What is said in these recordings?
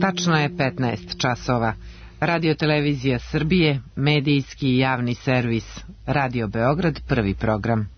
Tačno je 15 časova. Radio Televizija Srbije, medijski i javni servis. Radio Beograd, prvi program.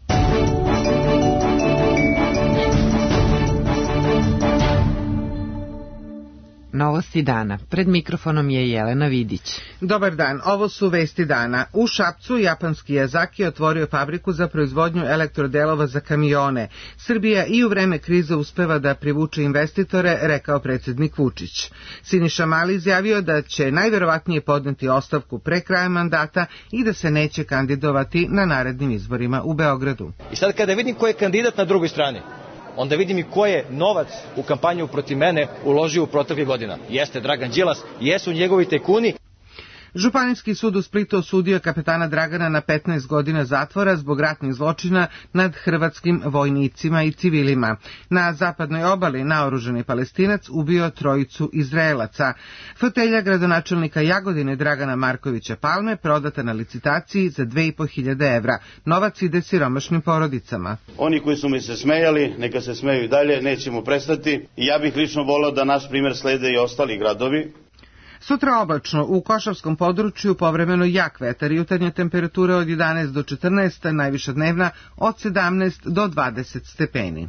Novosti dana. Pred mikrofonom je Jelena Vidić. Dobar dan, ovo su vesti dana. U Šapcu japanski Yazaki otvorio fabriku za proizvodnju elektrodelova za kamione. Srbija i u vreme krize uspeva da privuče investitore, rekao predsjednik Vučić. Siniša Mali izjavio da će najverovatnije podneti ostavku pre kraja mandata i da se neće kandidovati na narednim izborima u Beogradu. I sad kada vidim ko je kandidat na drugoj strani, onda vidim i ko je novac u kampanju protiv mene uložio u proteklih godina. Jeste Dragan Đilas, jesu njegovi tajkuni. Županijski sud u Splitu osudio kapetana Dragana na 15 godina zatvora zbog ratnih zločina nad hrvatskim vojnicima i civilima. Na zapadnoj obali naoružani Palestinac ubio trojicu Izraelaca. Fotelja gradonačelnika Jagodine Dragana Markovića Palme prodata na licitaciji za 2.500 evra. Novac ide siromašnim porodicama. Oni koji su mi se smejali, neka se smeju i dalje, nećemo prestati. I ja bih lično volao da naš primjer slede i ostali gradovi. Sutra oblačno, u Košavskom području povremeno jak vetar, jutarnja temperatura od 11 do 14, najviša dnevna od 17 do 20 stepeni.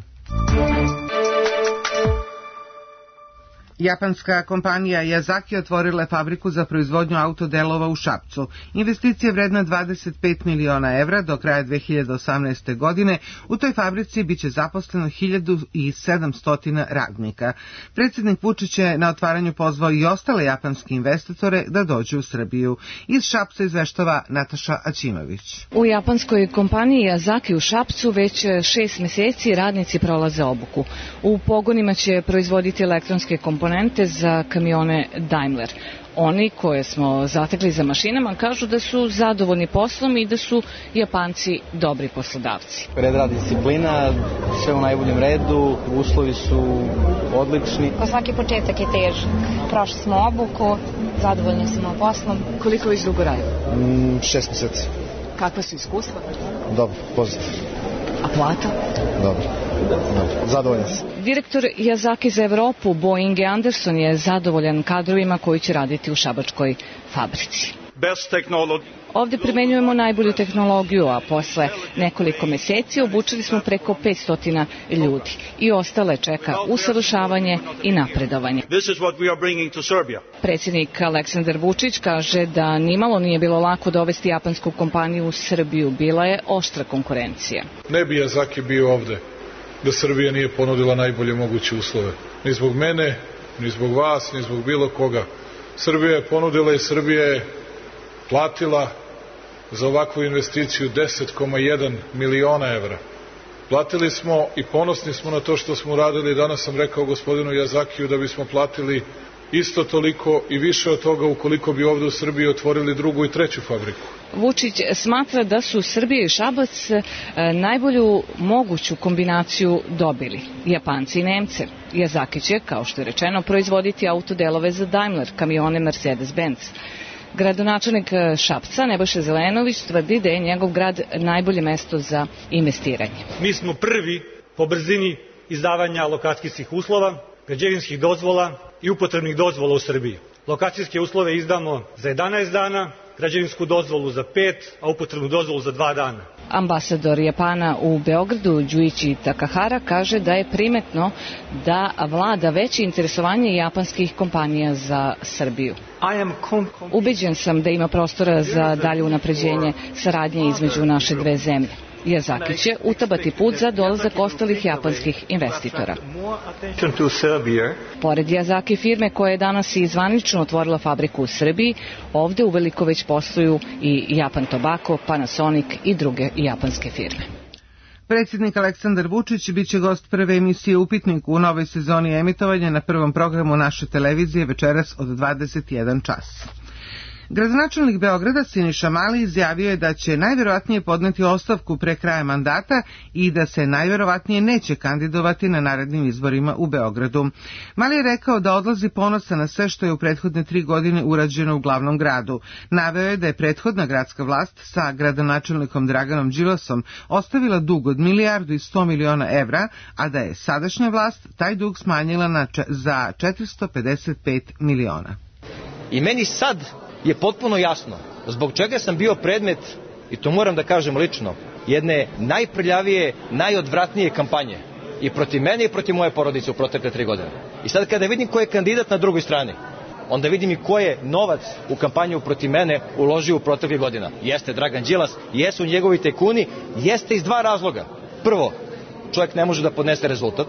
Japanska kompanija Yazaki otvorila fabriku za proizvodnju autodelova u Šapcu. Investicija vredna 25 miliona evra do kraja 2018. godine. U toj fabrici biće zaposleno 1700 radnika. Predsjednik Vučić je na otvaranju pozvao i ostale japanske investitore da dođu u Srbiju. Iz Šapca izveštava Nataša Aćimović. U japanskoj kompaniji Yazaki u Šapcu već 6 meseci radnici prolaze obuku. U pogonima će proizvoditi elektronske komponente za kamione Daimler. Oni koje smo zatekli za mašinama kažu da su zadovoljni poslom i da su Japanci dobri poslodavci. Red rad, disciplina, sve u najboljem redu, uslovi su odlični. Pa svaki početak je težak. Prošli smo obuku, zadovoljni smo poslom. Koliko već dugo radite? 6 meseci. Kakva su iskustva? Dobro, pozitivno. A plata? Dobro. Zadovoljan sam. Direktor Yazaki za Evropu, Bo Inge Anderson, je zadovoljan kadrovima koji će raditi u šabačkoj fabrici. Ovdje primenjujemo najbolju tehnologiju, a posle nekoliko meseci obučili smo preko 500 ljudi i ostale čeka usavršavanje i napredovanje. Predsjednik Aleksandar Vučić kaže da nimalo nije bilo lako dovesti japansku kompaniju u Srbiju, bila je oštra konkurencija. Ne bi Yazaki bio ovde da Srbija nije ponudila najbolje moguće uslove. Ni zbog mene, ni zbog vas, ni zbog bilo koga. Srbija je ponudila i Srbija je platila za ovakvu investiciju 10,1 miliona evra. Platili smo i ponosni smo na to što smo uradili. Danas sam rekao gospodinu Yazakiju da bismo platili isto toliko i više od toga ukoliko bi ovde u Srbiji otvorili drugu i treću fabriku. Vučić smatra da su Srbija i Šabac najbolju moguću kombinaciju dobili. Japanci i Nemce. Yazaki će, kao što je rečeno, proizvoditi autodelove za Daimler, kamione Mercedes-Benz. Gradonačelnik Šapca, Nebojša Zelenović, tvrdi da je njegov grad najbolje mesto za investiranje. Mi smo prvi po brzini izdavanja lokacijskih uslova, građevinskih dozvola i upotrebnih dozvola u Srbiji. Lokacijske uslove izdamo za 11 dana, građevinsku dozvolu za 5, a upotrebnu dozvolu za 2 dana. Ambasador Japana u Beogradu, Đuići Takahara, kaže da je primetno da vlada veće interesovanje japanskih kompanija za Srbiju. Ubeđen sam da ima prostora za dalje unapređenje saradnje između naše dve zemlje. Yazaki će utabati put za dolazak ostalih japanskih investitora. Pored Yazaki firme koja je danas i zvanično otvorila fabriku u Srbiji, ovde uveliko već posluju i Japan Tobacco, Panasonic i druge japanske firme. Predsjednik Aleksandar Vučić biće gost prve emisije Upitnik u novoj sezoni emitovanja na prvom programu naše televizije večeras od 21 čas. Gradonačelnik Beograda Siniša Mali izjavio je da će najverovatnije podneti ostavku pre kraja mandata i da se najverovatnije neće kandidovati na narednim izborima u Beogradu. Mali je rekao da odlazi ponosan na sve što je u prethodne 3 godine urađeno u glavnom gradu. Naveo je da je prethodna gradska vlast sa gradonačelnikom Draganom Đilasom ostavila dug od 1,1 milijarda evra, a da je sadašnja vlast taj dug smanjila za 455 miliona. I meni sad je potpuno jasno zbog čega sam bio predmet, i to moram da kažem lično, jedne najprljavije, najodvratnije kampanje i protiv mene i protiv moje porodice u protekle 3 godine. I sad kada vidim ko je kandidat na drugoj strani, onda vidim i ko je novac u kampanju protiv mene uložio u proteklih godina. Jeste Dragan Đilas, jesu njegovi tajkuni, jeste iz 2 razloga. Prvo, čovjek ne može da podnese rezultat.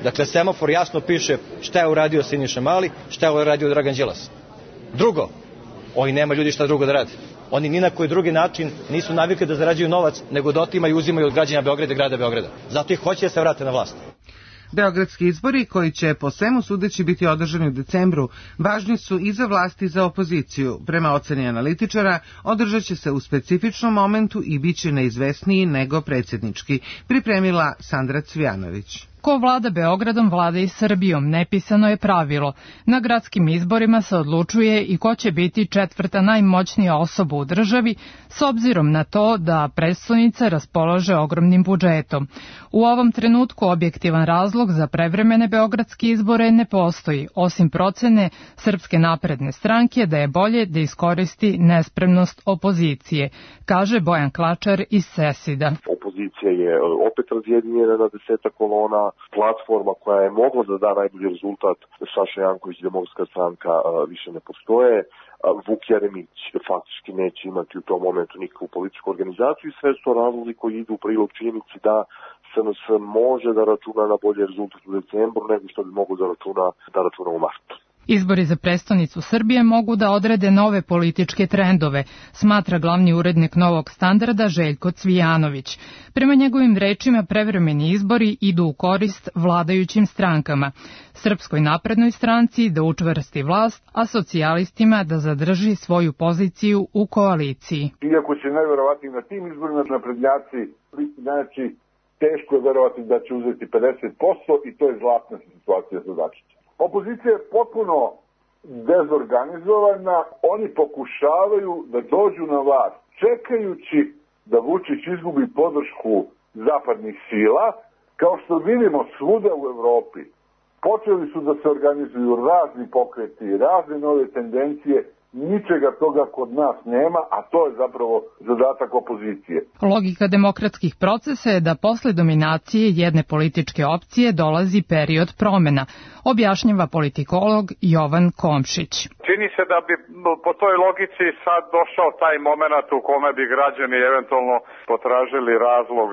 Dakle, semafor jasno piše šta je uradio Siniša Mali, šta je uradio Dragan Đilas. Drugo, oni nema ljudi šta drugo da rade. Oni ni na koji drugi način nisu navikli da zarađuju novac, nego da otimaju i uzimaju od građana Beograda i grada Beograda. Zato i hoće da se vrate na vlast. Beogradski izbori, koji će po svemu sudeći biti održani u decembru, važni su i za vlast i za opoziciju. Prema oceni analitičara, održat će se u specifičnom momentu i bit će neizvesniji nego predsjednički, pripremila Sandra Cvijanović. Ko vlada Beogradom, vlada i Srbijom, nepisano je pravilo. Na gradskim izborima se odlučuje i ko će biti 4. najmoćnija osoba u državi, s obzirom na to da prestonica raspolaže ogromnim budžetom. U ovom trenutku objektivan razlog za prevremene beogradske izbore ne postoji, osim procene Srpske napredne stranke da je bolje da iskoristi nespremnost opozicije, kaže Bojan Klačar iz Sesida. Opozicija je opet razjedinjena na 10 kolona, platforma koja je mogla da da najbolji rezultat, Saša Janković, Demokratska stranka, više ne postoje. Vuk Jeremić faktički neće imati u tom momentu nikakvu političku organizaciju i sve su to razlozi koji idu u prilog činjenici da SNS može da računa na bolji rezultat u decembru nego što bi mogao da računa u martu. Izbori za prestonicu Srbije mogu da odrede nove političke trendove, smatra glavni urednik Novog standarda Željko Cvijanović. Prema njegovim rečima, prevremeni izbori idu u korist vladajućim strankama. Srpskoj naprednoj stranci da učvrsti vlast, a socijalistima da zadrži svoju poziciju u koaliciji. Iako će najverovatnije na tim izborima naprednjaci biti znači teško je verovati da će uzeti 50% i to je zlatna situacija za Dačića. Opozicija je potpuno dezorganizovana, oni pokušavaju da dođu na vlast, čekajući da Vučić izgubi podršku zapadnih sila, kao što vidimo svuda u Evropi. Počeli su da se organizuju razni pokreti, razne nove tendencije, ničega toga kod nas nema, a to je zapravo zadatak opozicije. Logika demokratskih procesa je da posle dominacije jedne političke opcije dolazi period promena, objašnjava politikolog Jovan Komšić. Čini se da bi po toj logici sad došao taj moment u kome bi građani eventualno potražili razlog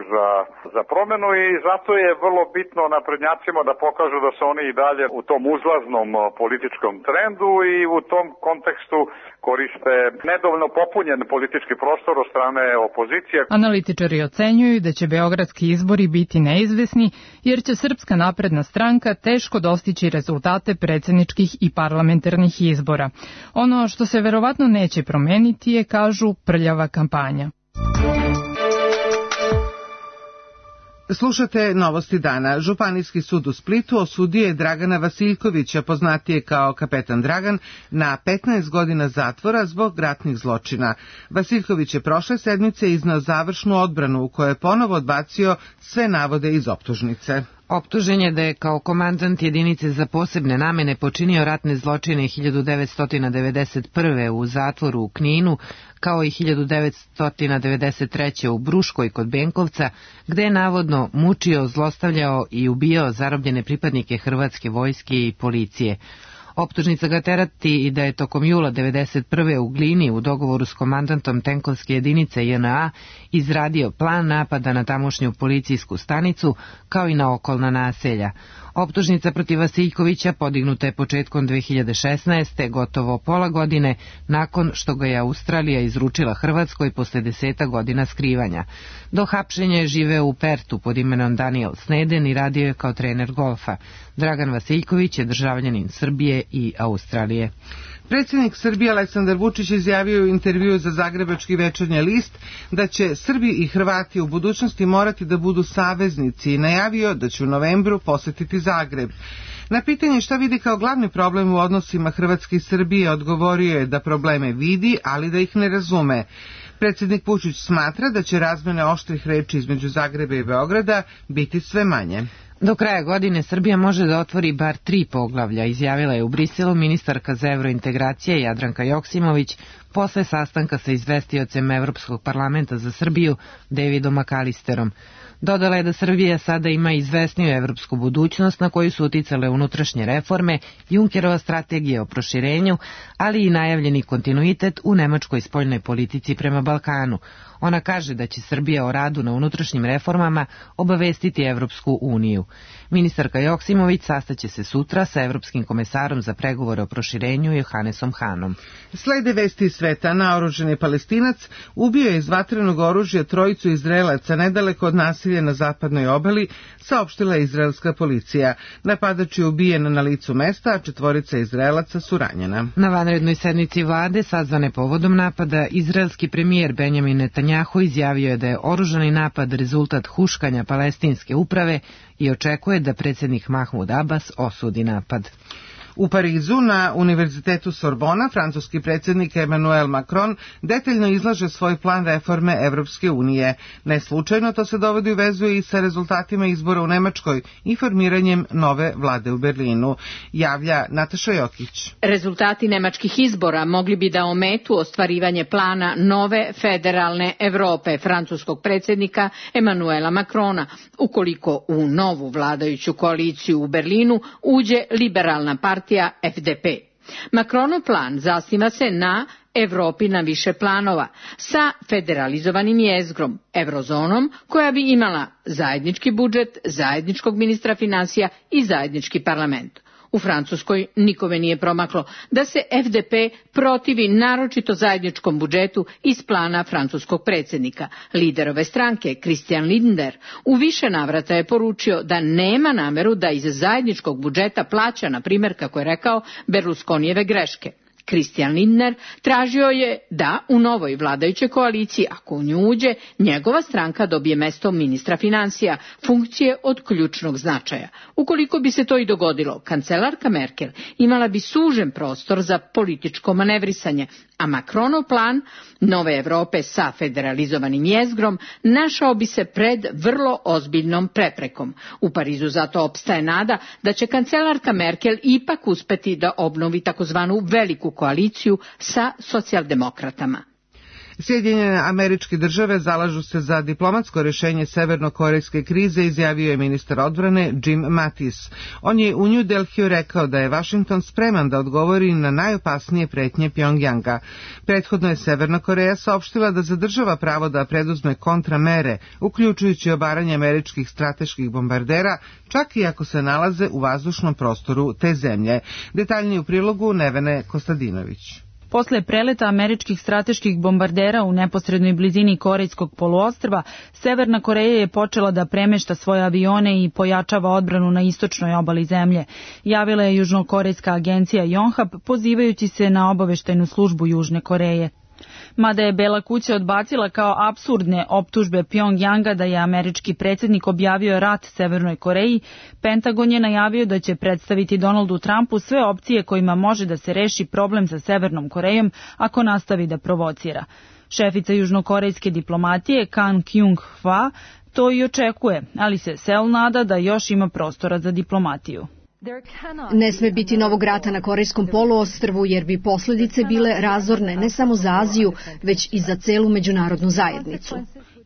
za promenu i zato je vrlo bitno naprednjacima da pokažu da su oni i dalje u tom uzlaznom političkom trendu i u tom kontekstu koriste nedovoljno popunjen politički prostor od strane opozicije. Analitičari ocenjuju da će beogradski izbori biti neizvesni jer će Srpska napredna stranka teško dostići rezultate predsjedničkih i parlamentarnih izbora. Ono što se verovatno neće promeniti je, kažu, prljava kampanja. Slušate Novosti dana. Županijski sud u Splitu osudio je Dragana Vasiljkovića, poznatije kao Kapetan Dragan, na 15 godina zatvora zbog ratnih zločina. Vasiljković je prošle sedmice izneo završnu odbranu u kojoj je ponovo odbacio sve navode iz optužnice. Optužen je da je kao komandant jedinice za posebne namene počinio ratne zločine 1991. u zatvoru u Kninu, kao i 1993. u Bruškoj kod Benkovca, gde je navodno mučio, zlostavljao i ubijao zarobljene pripadnike Hrvatske vojske i policije. Optužnica ga terati i da je tokom jula 1991. u Glini u dogovoru s komandantom tenkovske jedinice JNA izradio plan napada na tamošnju policijsku stanicu kao i na okolna naselja. Optužnica protiv Vasiljkovića podignuta je početkom 2016. gotovo pola godine nakon što ga je Australija izručila Hrvatskoj posle 10 godina skrivanja. Do hapšenja je živeo u Pertu pod imenom Daniel Sneden i radio je kao trener golfa. Dragan Vasiljković je državljanin Srbije i Australije. Predsjednik Srbije Aleksandar Vučić izjavio u intervjuu za Zagrebački večernji list da će Srbi i Hrvati u budućnosti morati da budu saveznici i najavio da će u novembru posetiti Zagreb. Na pitanje šta vidi kao glavni problem u odnosima Hrvatske i Srbije odgovorio je da probleme vidi, ali da ih ne razume. Predsjednik Vučić smatra da će razmene oštrih reči između Zagreba i Beograda biti sve manje. Do kraja godine Srbija može da otvori bar 3 poglavlja, izjavila je u Briselu ministarka za evrointegracije Jadranka Joksimović posle sastanka sa izvestiocem Evropskog parlamenta za Srbiju Davidom McAllisterom. Dodala je da Srbija sada ima izvesniju evropsku budućnost na koju su uticale unutrašnje reforme, Junckerova strategija o proširenju, ali i najavljeni kontinuitet u nemačkoj spoljnoj politici prema Balkanu. Ona kaže da će Srbija o radu na unutrašnjim reformama obavestiti Evropsku uniju. Ministarka Joksimović sastaće se sutra sa Evropskim komesarom za pregovore o proširenju Johannesom Hanom. Slede vesti iz sveta. Naoružani Palestinac ubio je iz vatrenog oružja 3 Izraelaca nedaleko od nasilja na zapadnoj obali, saopštila je izraelska policija. Napadač je ubijen na licu mesta, a 4 Izraelaca su ranjena. Na vanrednoj sednici vlade, sazvane povodom napada, izraelski premijer Benjamin Netanjahu izjavio je da je oružani napad rezultat huškanja palestinske uprave i očekuje da predsjednik Mahmud Abbas osudi napad. U Parizu na Univerzitetu Sorbona francuski predsjednik Emmanuel Macron detaljno izlaže svoj plan reforme Evropske unije. Neslučajno to se dovodi u vezu i sa rezultatima izbora u Nemačkoj i formiranjem nove vlade u Berlinu, javlja Nataša Jokić. Rezultati nemačkih izbora mogli bi da ometu ostvarivanje plana nove federalne Evrope francuskog predsjednika Emmanuela Macrona, ukoliko u novu vladajuću koaliciju u Berlinu uđe liberalna partija FDP. Macronov plan zasniva se na Evropi na više planova, sa federalizovanim jezgrom, eurozonom, koja bi imala zajednički budžet, zajedničkog ministra finansija i zajednički parlament. U Francuskoj nikome nije promaklo da se FDP protivi naročito zajedničkom budžetu iz plana francuskog predsjednika. Lider ove stranke, Christian Lindner, u više navrata je poručio da nema nameru da iz zajedničkog budžeta plaća, na primjer, kako je rekao, Berlusconijeve greške. Christian Lindner tražio je da u novoj vladajućoj koaliciji, ako u nju uđe, njegova stranka dobije mesto ministra financija, funkcije od ključnog značaja. Ukoliko bi se to i dogodilo, kancelarka Merkel imala bi sužen prostor za političko manevrisanje, a Macronov plan nove Evrope sa federalizovanim jezgrom našao bi se pred vrlo ozbiljnom preprekom. U Parizu zato opstaje nada da će kancelarka Merkel ipak uspeti da obnovi takozvanu veliku koaliciju sa socijaldemokratama. Sjedinjene Američke Države zalažu se za diplomatsko rješenje severnokorejske krize, izjavio je ministar odbrane Jim Mattis. On je u New Delhiju rekao da je Washington spreman da odgovori na najopasnije pretnje Pjongjanga. Prethodno je Severna Koreja saopštila da zadržava pravo da preduzme kontramere, uključujući obaranje američkih strateških bombardera, čak i ako se nalaze u vazdušnom prostoru te zemlje. Detaljnije u prilogu Nevene Kostadinović. Posle preleta američkih strateških bombardera u neposrednoj blizini Korejskog poluostrva, Severna Koreja je počela da premešta svoje avione i pojačava odbranu na istočnoj obali zemlje, javila je južnokorejska agencija Yonhap, pozivajući se na obaveštajnu službu Južne Koreje. Mada je Bela kuća odbacila kao apsurdne optužbe Pjongjanga da je američki predsjednik objavio rat Severnoj Koreji, Pentagon je najavio da će predstaviti Donaldu Trumpu sve opcije kojima može da se reši problem sa Severnom Korejom ako nastavi da provocira. Šefica južnokorejske diplomatije Kang Kyung-hwa to i očekuje, ali se Seul nada da još ima prostora za diplomatiju. Ne sme biti novog rata na Korejskom poluostrvu jer bi posljedice bile razorne ne samo za Aziju, već i za celu međunarodnu zajednicu.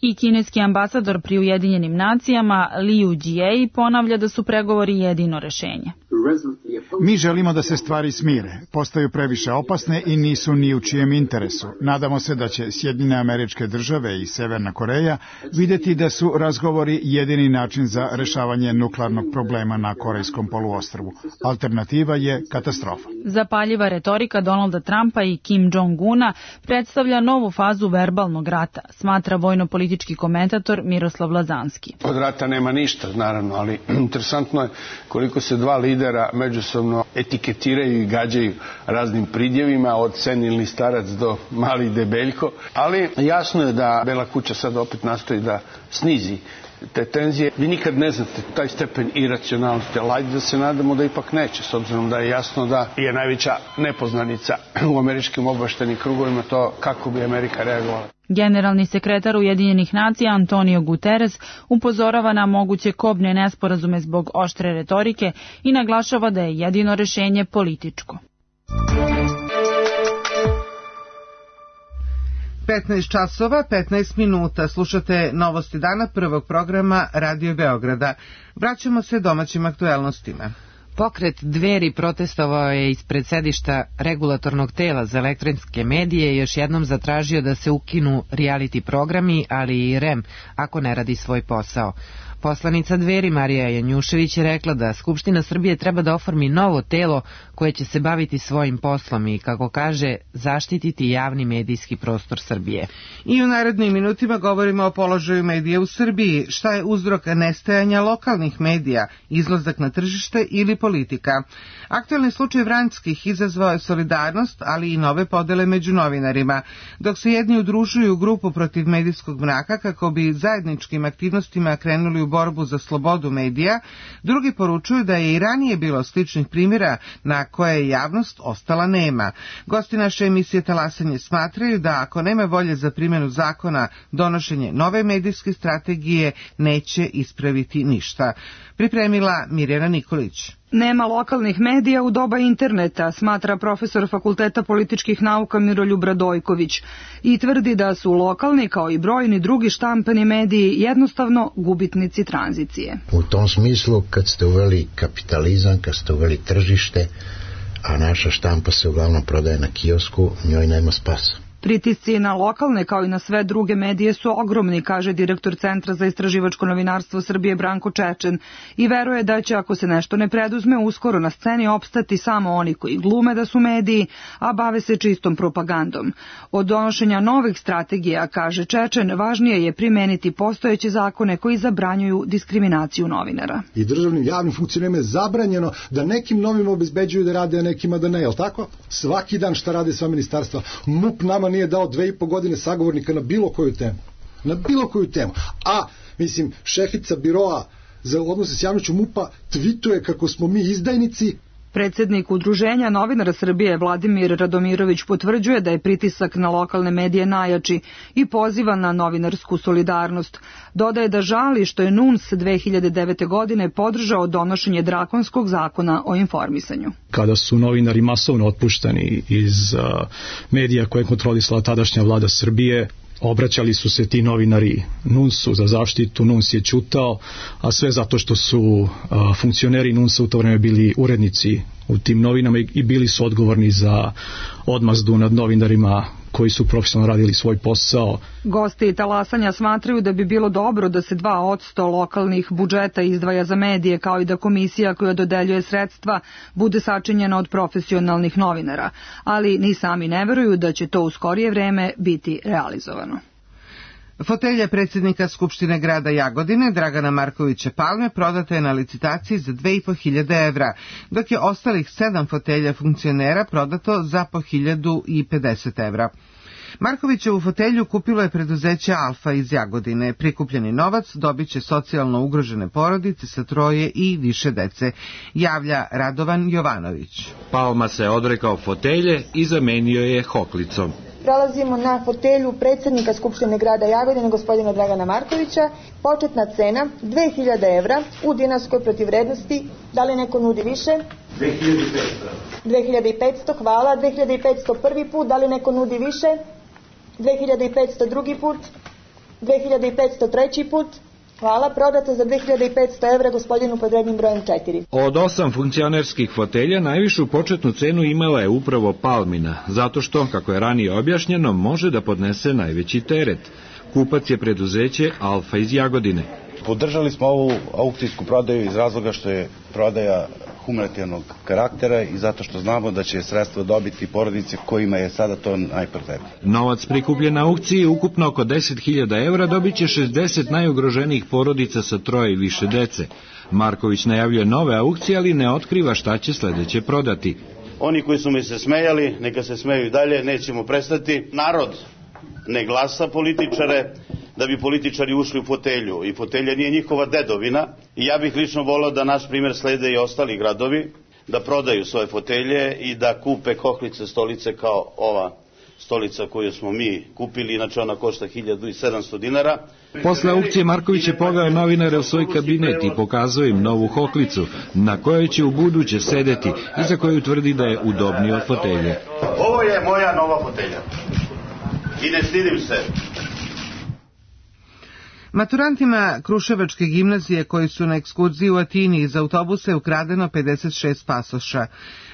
I kineski ambasador pri Ujedinjenim nacijama Liu Jie ponavlja da su pregovori jedino rešenje. Mi želimo da se stvari smire, postaju previše opasne i nisu ni u čijem interesu. Nadamo se da će Sjedinjene Američke Države i Severna Koreja vidjeti da su razgovori jedini način za rešavanje nuklearnog problema na Korejskom poluostrvu. Alternativa je katastrofa. Zapaljiva retorika Donalda Trumpa i Kim Jong-una predstavlja novu fazu verbalnog rata, smatra vojno-politički komentator Miroslav Lazanski. Od rata nema ništa, naravno, ali interesantno je koliko se dva lidera međusobno međusobno etiketiraju i gađaju raznim pridjevima, od senilni starac do mali debeljko, ali jasno je da Bela kuća sad opet nastoji da snizi te tenzije. Vi nikad ne znate taj stepen iracionalnosti, ali ajde da se nadamo da ipak neće, s obzirom da je jasno da je najveća nepoznanica u američkim obaveštajnim krugovima to kako bi Amerika reagovala. Generalni sekretar Ujedinjenih nacija Antonio Guterres upozorava na moguće kobne nesporazume zbog oštre retorike i naglašava da je jedino rešenje političko. 15 časova, 15 minuta. Slušate Novosti dana prvog programa Radio Beograda. Vraćamo se domaćim aktuelnostima. Pokret Dveri protestovao je ispred sedišta regulatornog tela za elektronske medije i još jednom zatražio da se ukinu reality programi, ali i REM, ako ne radi svoj posao. Poslanica Dveri Marija Janjušević je rekla da Skupština Srbije treba da oformi novo telo koje će se baviti svojim poslom i, kako kaže, zaštititi javni medijski prostor Srbije. I u narednim minutima govorimo o položaju medija u Srbiji. Šta je uzrok nestajanja lokalnih medija, izlazak na tržište ili politika? Aktuelni slučaj Vranjskih izazvao je solidarnost, ali i nove podele među novinarima. Dok se jedni udružuju u grupu protiv medijskog mraka kako bi zajedničkim aktivnostima krenuli u borbu za slobodu medija, drugi poručuju da je i ranije bilo sličnih primjera na koje je javnost ostala nema. Gosti naše emisije Talasanje smatraju da ako nema volje za primjenu zakona, donošenje nove medijske strategije neće ispraviti ništa. Pripremila Mirjana Nikolić. Nema lokalnih medija u doba interneta, smatra profesor Fakulteta političkih nauka Miroljub Radojković i tvrdi da su lokalni kao i brojni drugi štampani mediji jednostavno gubitnici tranzicije. U tom smislu, kad ste uveli kapitalizam, kad ste uveli tržište, a naša štampa se uglavnom prodaje na kiosku, njoj nema spasa. Pritisci na lokalne kao i na sve druge medije su ogromni, kaže direktor Centra za istraživačko novinarstvo Srbije Branko Čečen, i veruje da će, ako se nešto ne preduzme, uskoro na sceni opstati samo oni koji glume da su mediji, a bave se čistom propagandom. Od donošenja novih strategija, kaže Čečen, važnije je primeniti postojeće zakone koji zabranjuju diskriminaciju novinara. I državnim javnim funkcionerima je zabranjeno da nekim novim obezbeđuju da rade, a nekima da ne, jel tako? Svaki dan šta rade sva ministarstva. MUP nama nije dao 2,5 godine sagovornika na bilo koju temu. Na bilo koju temu. A, mislim, šefica biroa za odnose s javnošću MUP-a tvituje kako smo mi izdajnici. Predsjednik Udruženja novinara Srbije Vladimir Radomirović potvrđuje da je pritisak na lokalne medije najjači i poziva na novinarsku solidarnost. Dodaje da žali što je NUNS 2009. godine podržao donošenje drakonskog zakona o informisanju. Kada su novinari masovno otpuštani iz medija koje je kontrolisala tadašnja vlada Srbije, obraćali su se ti novinari NUNS-u za zaštitu, NUNS je ćutao, a sve zato što su funkcioneri NUNS-a u to vreme bili urednici u tim novinama i bili su odgovorni za odmazdu nad novinarima koji su profesionalno radili svoj posao. Gosti Talasanja smatraju da bi bilo dobro da se 2% lokalnih budžeta izdvaja za medije, kao i da komisija koja dodeljuje sredstva bude sačinjena od profesionalnih novinara, ali ni sami ne veruju da će to u skorije vreme biti realizovano. Fotelja predsjednika Skupštine grada Jagodine, Dragana Markovića Palme, prodata je na licitaciji za 2.500 evra, dok je ostalih 7 fotelja funkcionera prodato za po 1.050 evra. Markovićevu fotelju kupilo je preduzeće Alfa iz Jagodine. Prikupljeni novac dobit će socijalno ugrožene porodice sa 3 i više dece, javlja Radovan Jovanović. Palma se odrekao fotelje i zamenio je hoklicom. Prelazimo na fotelju predsjednika Skupštine grada Jagodine, gospodina Dragana Markovića. Početna cena 2.000 evra u dinarskoj protivvrednosti. Da li neko nudi više? 2.500. 2.500, hvala. 2.500 prvi put. Da li neko nudi više? 2.500 drugi put. 2.500 treći put. Hvala, prodata za 2.500 evra gospodinu pod rednim brojem 4. Od 8 funkcionerskih fotelja najvišu početnu cenu imala je upravo Palmina, zato što, kako je ranije objašnjeno, može da podnese najveći teret. Kupac je preduzeće Alfa iz Jagodine. Podržali smo ovu aukcijsku prodaju iz razloga što je prodaja humanitarnog karaktera i zato što znamo da će sredstva dobiti porodice kojima je sada to najpotrebnije. Novac prikupljen na aukciji, ukupno oko 10.000 evra, dobit će 60 najugroženijih porodica sa 3 i više dece. Marković najavljuje nove aukcije, ali ne otkriva šta će sledeće prodati. Oni koji su mi se smejali, neka se smeju i dalje, nećemo prestati. Narod ne glasa političare da bi političari ušli u fotelju i fotelja nije njihova dedovina i ja bih lično volao da naš primjer slede i ostali gradovi, da prodaju svoje fotelje i da kupe kohlice, stolice kao ova stolica koju smo mi kupili, inače ona košta 1700 dinara. Posle aukcije Marković je poveo novinare u svoj kabinet i pokazao im novu hoklicu na kojoj će u buduće sedeti i za koju tvrdi da je udobnija od fotelje. Ovo je moja nova fotelja i ne stidim se. Maturantima Kruševačke gimnazije koji su na ekskurziji u Atini iz autobusa je ukradeno 56 pasoša.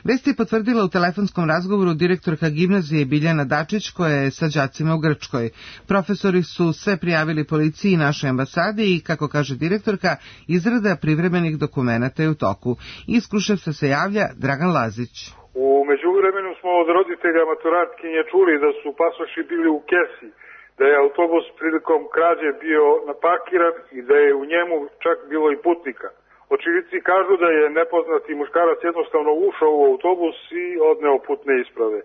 Vest je potvrdila u telefonskom razgovoru direktorka gimnazije Biljana Dačić koja je sa đacima u Grčkoj. Profesori su sve prijavili policiji i našoj ambasadi i, kako kaže direktorka, izrada privremenih dokumenata je u toku. Iz Kruševca se javlja Dragan Lazić. U međuvremenu smo od roditelja maturantkinje čuli da su pasoši bili u kesi, da je autobus prilikom krađe bio naparkiran i da je u njemu čak bilo i putnika. Očevici kažu da je nepoznati muškarac jednostavno ušao u autobus i odneo putne isprave.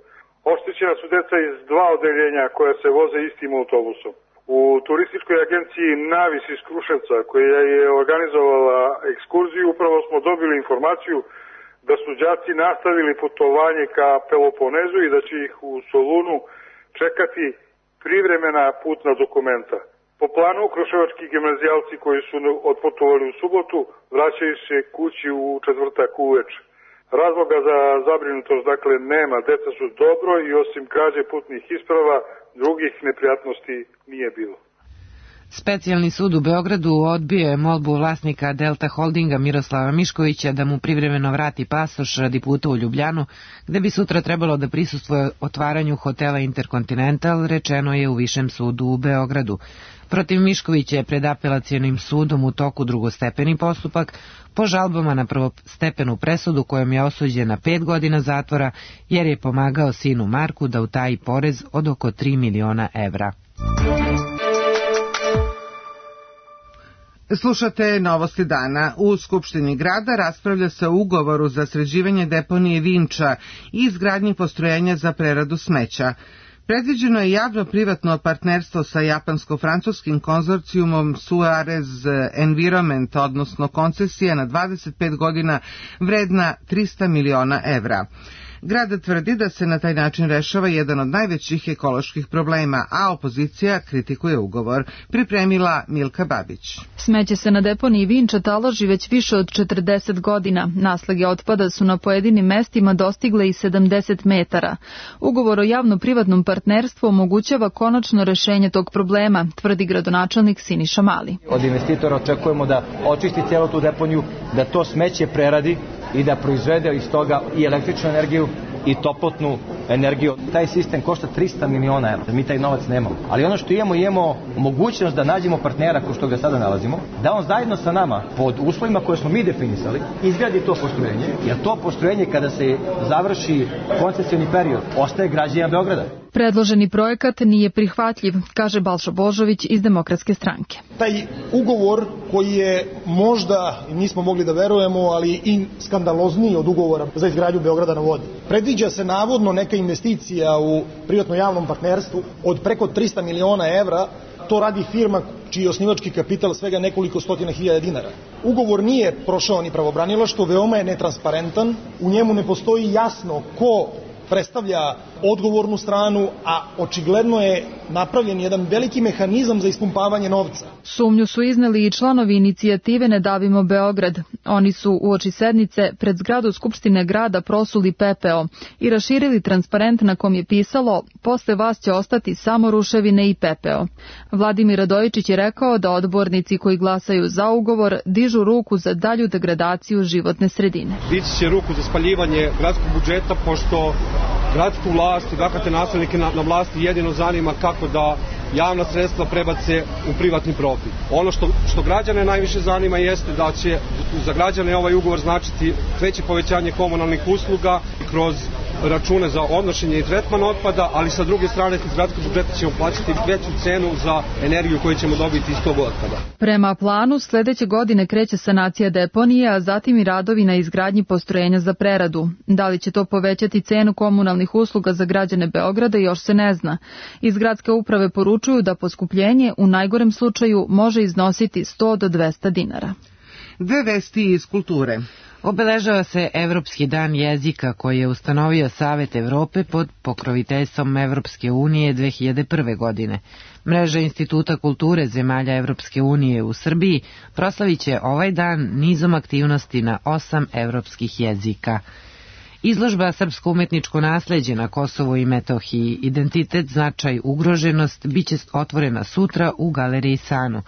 Oštećena su deca iz 2 odeljenja koja se voze istim autobusom. U turističkoj agenciji Navis iz Kruševca, koja je organizovala ekskurziju, upravo smo dobili informaciju da su đaci nastavili putovanje ka Peloponezu i da će ih u Solunu čekati privremena putna dokumenta. Po planu, kruševački gimnazijalci koji su otputovali u subotu vraćaju se kući u četvrtak uveče. Razloga za zabrinutost dakle nema, deca su dobro i osim krađe putnih isprava drugih neprijatnosti nije bilo. Specijalni sud u Beogradu odbio je molbu vlasnika Delta Holdinga Miroslava Miškovića da mu privremeno vrati pasoš radi puta u Ljubljanu, gde bi sutra trebalo da prisustvuje otvaranju hotela Intercontinental, rečeno je u Višem sudu u Beogradu. Protiv Miškovića je pred apelacionim sudom u toku drugostepeni postupak po žalbama na prvostepenu presudu kojom je osuđen na 5 godina zatvora jer je pomagao sinu Marku da utaji porez od oko 3 miliona evra. Slušate Novosti dana. U Skupštini grada raspravlja se o ugovoru za sređivanje deponije Vinča i izgradnji postrojenja za preradu smeća. Predviđeno je javno-privatno partnerstvo sa japansko-francuskim konzorcijumom Suarez Environment, odnosno koncesija na 25 godina vredna 300 miliona evra. Grad tvrdi da se na taj način rešava jedan od najvećih ekoloških problema, a opozicija kritikuje ugovor. Pripremila Milka Babić. Smeće se na deponiji Vinča taloži već više od 40 godina. Naslage otpada su na pojedinim mestima dostigle i 70 metara. Ugovor o javno-privatnom partnerstvu omogućava konačno rešenje tog problema, tvrdi gradonačelnik Siniša Mali. Od investitora očekujemo da očisti cijelu tu deponiju, da to smeće preradi i da proizvede iz toga i električnu energiju i toplotnu energiju. Taj sistem košta 300 miliona evra. Mi taj novac nemamo. Ali ono što imamo mogućnost da nađemo partnera ko što ga sada nalazimo, da on zajedno sa nama, pod uslovima koje smo mi definisali, izgradi to postrojenje, jer to postrojenje kada se završi koncesioni period, ostaje građanima Beograda. Predloženi projekat nije prihvatljiv, kaže Balša Božović iz Demokratske stranke. Taj ugovor koji je možda, nismo mogli da verujemo, ali i skandalozniji od ugovora za izgradnju Beograda na vodi. Predviđa se navodno neka investicija u privatno-javnom partnerstvu od preko 300 miliona evra. To radi firma čiji je osnivački kapital svega nekoliko stotina hiljada dinara. Ugovor nije prošao ni pravobranilaštvo, veoma je netransparentan, u njemu ne postoji jasno ko predstavlja odgovornu stranu, a očigledno je napravljen jedan veliki mehanizam za ispumpavanje novca. Sumnju su izneli i članovi inicijative Ne davimo Beograd. Oni su uoči sednice pred zgradu Skupštine grada prosuli pepeo i raširili transparent na kom je pisalo "Posle vas će ostati samo ruševine i pepeo". Vladimir Radojičić je rekao da odbornici koji glasaju za ugovor dižu ruku za dalju degradaciju životne sredine. Dići će ruku za spaljivanje gradskog budžeta, pošto gradsku vlast i dakle naslednike na vlasti jedino zanima kako da javna sredstva prebace u privatni profit. Ono što građane najviše zanima jeste da će za građane ovaj ugovor značiti veće povećanje komunalnih usluga kroz račune za odnošenje i tretman otpada, ali sa druge strane iz gradskog budžeta ćemo plaćati veću cenu za energiju koju ćemo dobiti iz tog otpada. Prema planu, sledeće godine kreće sanacija deponije, a zatim i radovi na izgradnji postrojenja za preradu. Da li će to povećati cenu komunalnih usluga za građane Beograda još se ne zna. Iz gradske uprave poručuju da poskupljenje u najgorem slučaju može iznositi 100 do 200 dinara. Dve vesti iz kulture. Obeležava se Evropski dan jezika koji je ustanovio Savet Evrope pod pokroviteljstvom Evropske unije 2001. godine. Mreža Instituta kulture zemalja Evropske unije u Srbiji proslavit će ovaj dan nizom aktivnosti na 8 evropskih jezika. Izložba Srpsko umetničko nasleđe na Kosovu i Metohiji, identitet, značaj, ugroženost, biće otvorena sutra u Galeriji Sanu.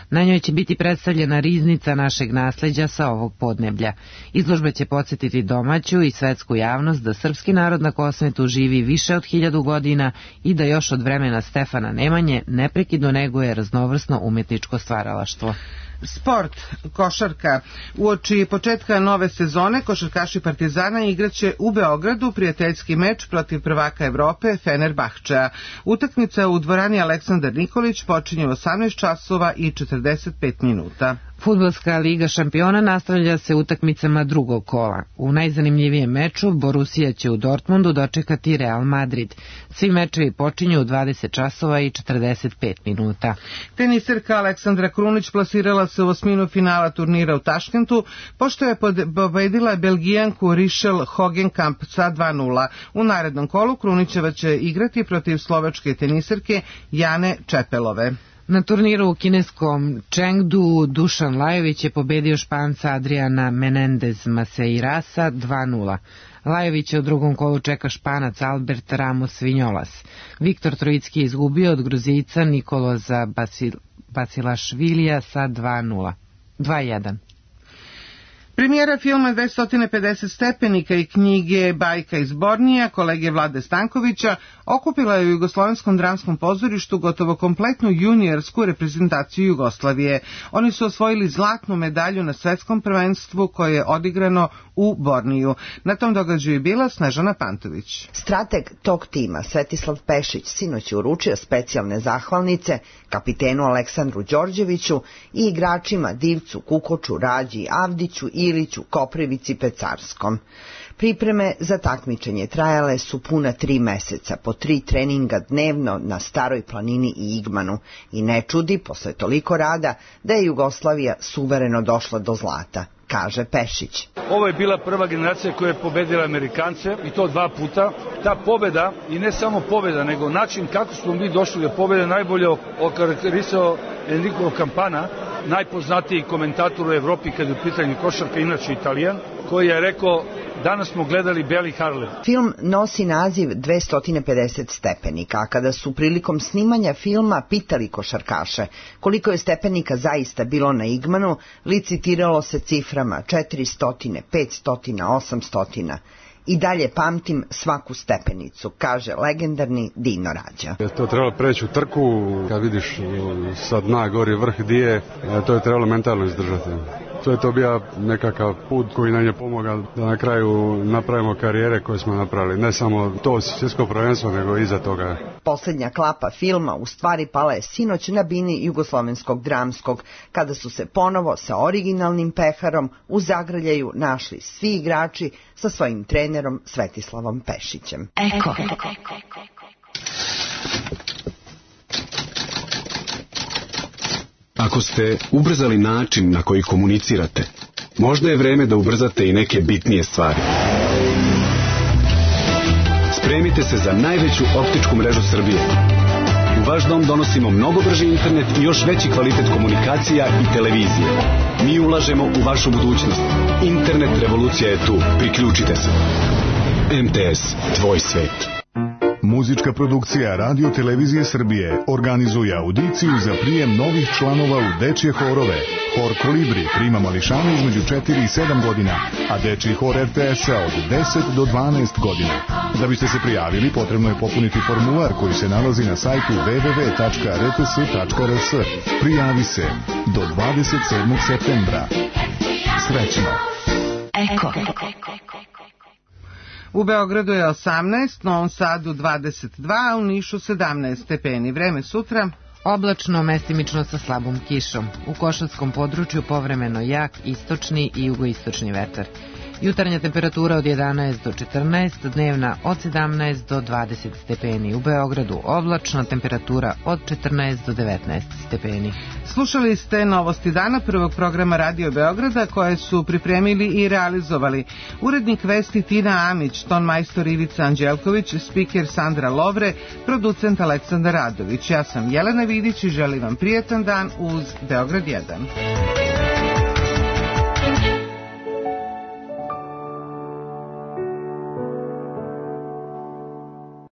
Na njoj će biti predstavljena riznica našeg nasleđa sa ovog podneblja. Izložba će podsjetiti domaću i svetsku javnost da srpski narod na Kosmetu živi više od 1000 godina i da još od vremena Stefana Nemanje neprekidno neguje raznovrsno umetničko stvaralaštvo. Sport, košarka. Uoči početka nove sezone košarkaši Partizana igraće u Beogradu prijateljski meč protiv prvaka Evrope Fenerbahčea. Utakmica u dvorani Aleksandar Nikolić počinje u 18 časova i 45 minuta. Fudbalska liga šampiona nastavlja se utakmicama drugog kola. U najzanimljivijem meču Borussia će u Dortmundu dočekati Real Madrid. Svi mečevi počinju u 20 časova i 45 minuta. Teniserka Aleksandra Krunić plasirala se u osminu finala turnira u Taškentu, pošto je pobedila Belgijanku Richelle Hogenkamp sa 2:0. U narednom kolu Krunićeva će igrati protiv slovačke teniserke Jane Čepelove. Na turniru u kineskom Chengdu Dušan Lajović je pobedio Španca Adriana Menendez Maceirasa 2:0. Lajovića u drugom kolu čeka Španac Albert Ramos Vinjolas. Viktor Trojicki je izgubio od Gruzijica Nikoloza Basilašvilija sa 2:1. Premijera filma 250 stepenika i knjige Bajka iz Bornija kolege Vlade Stankovića okupila je u Jugoslovenskom dramskom pozorištu gotovo kompletnu juniorsku reprezentaciju Jugoslavije. Oni su osvojili zlatnu medalju na svetskom prvenstvu koje je odigrano u Borniju. Na tom događaju je bila Snežana Pantović. Strateg tog tima, Svetislav Pešić, sinoć je uručio specijalne zahvalnice kapitenu Aleksandru Đorđeviću i igračima Divcu, Kukoču, Rađi, Avdiću, Iliću, Koprivici, Pecarskom. Pripreme za takmičenje trajale su puna 3 meseca, po 3 treninga dnevno na Staroj planini i Igmanu i ne čudi, posle toliko rada, da je Jugoslavija suvereno došla do zlata, kaže Pešić. Ovo je bila prva generacija koja je pobedila Amerikance i to 2 puta. Ta pobeda, i ne samo pobeda, nego način kako smo mi došli do pobede, najbolje okarakterisao Enrico Campana, najpoznatiji komentator u Evropi kad je u pitanju košarka, inače Italijan, koji je rekao: danas smo gledali Beli Harlem. Film nosi naziv 250 stepenika, a kada su prilikom snimanja filma pitali košarkaše koliko je stepenika zaista bilo na Igmanu, licitiralo se ciframa 400, 500, 800. I dalje pamtim svaku stepenicu, kaže legendarni Dino Rađa. To je trebalo preći u trku, kad vidiš sa dna gori vrh di je, to je trebalo mentalno izdržati. To je to bio nekakav put koji nam je pomogao da na kraju napravimo karijere koje smo napravili. Ne samo to svjetsko prvenstvo, nego iza toga. Posljednja klapa filma u stvari pala je sinoć na bini Jugoslovenskog dramskog, kada su se ponovo sa originalnim peharom u zagrljaju našli svi igrači sa svojim trenerom Svetislavom Pešićem. Eko. Ako ste ubrzali način na koji komunicirate, možda je vreme da ubrzate i neke bitnije stvari. Spremite se za najveću optičku mrežu Srbije. U vaš dom donosimo mnogo brži internet i još veći kvalitet komunikacija i televizije. Mi ulažemo u vašu budućnost. Internet revolucija je tu. Priključite se. MTS, tvoj svet. Muzička produkcija Radio Televizije Srbije organizuje audiciju za prijem novih članova u dečje horove. Hor Kolibri prima mališane između 4 i 7 godina, a dečji hor RTS-a od 10 do 12 godina. Da biste se prijavili, potrebno je popuniti formular koji se nalazi na sajtu www.rts.rs. Prijavi se do 27. septembra. Srećno! Eko. U Beogradu je 18, Novom Sadu 22, a u Nišu 17 stepeni. Vreme sutra oblačno, mestimično sa slabom kišom. U Košarskom području povremeno jak istočni i jugoistočni vetar. Jutarnja temperatura od 11 do 14, dnevna od 17 do 20 stepeni. U Beogradu oblačna temperatura od 14 do 19 stepeni. Slušali ste novosti dana prvog programa Radio Beograda koje su pripremili i realizovali urednik vesti Tina Amić, ton majstor Ivica Anđelković, spiker Sandra Lovre, producent Aleksandar Radović. Ja sam Jelena Vidić i želim vam prijetan dan uz Beograd 1.